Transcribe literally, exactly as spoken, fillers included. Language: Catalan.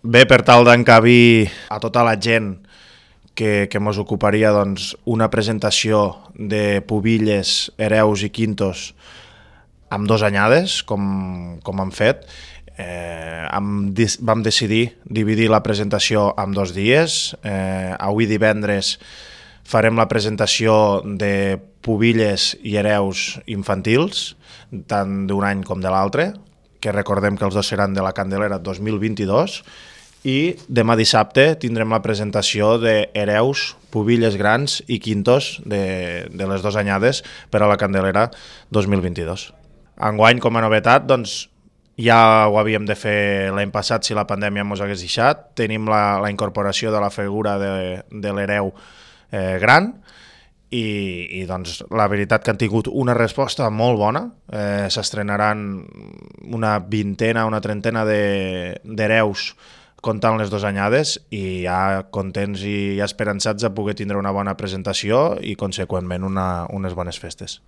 Bé, per tal d'encabir a tota la gent que, que mos ocuparia doncs, una presentació de pubilles, hereus i quintos amb dos anyades, com, com hem fet, eh, hem, vam decidir dividir la presentació en dos dies. Eh, avui divendres farem la presentació de pubilles i hereus infantils, tant d'un any com de l'altre, que recordem que els dos seran de la Candelera dos mil vint-i-dos, i demà dissabte tindrem la presentació d'hereus, pubilles grans i quintos de, de les dues anyades per a la Candelera dos mil vint-i-dos. Enguany, com a novetat, doncs, ja ho havíem de fer l'any passat si la pandèmia ens hagués deixat. Tenim la, la incorporació de la figura de, de l'hereu eh, gran i, i doncs, la veritat que han tingut una resposta molt bona. Eh, s'estrenaran una vintena, una trentena d'hereus de, comptant les dues anyades i ja contents i esperançats de poder tindre una bona presentació i, conseqüentment, una, unes bones festes.